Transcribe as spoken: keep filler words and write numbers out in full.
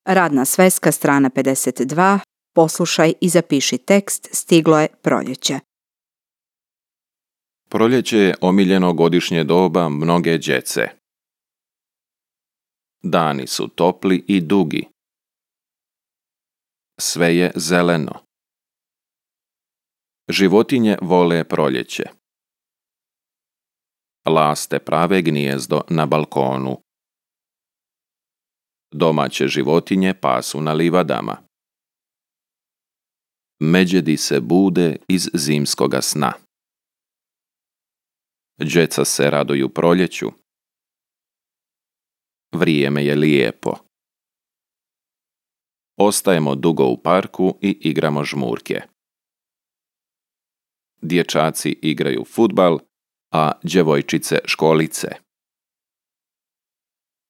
Radna sveska, strana pedeset dva. Poslušaj i zapiši tekst. Stiglo je proljeće. Proljeće je omiljeno godišnje doba mnoge djece. Dani su topli i dugi. Sve je zeleno. Životinje vole proljeće. Laste prave gnijezdo na balkonu. Domaće životinje pasu na livadama. Međedi se bude iz zimskoga sna. Djeca se raduju proljeću. Vrijeme je lijepo. Ostajemo dugo u parku i igramo žmurke. Dječaci igraju fudbal, a djevojčice školice.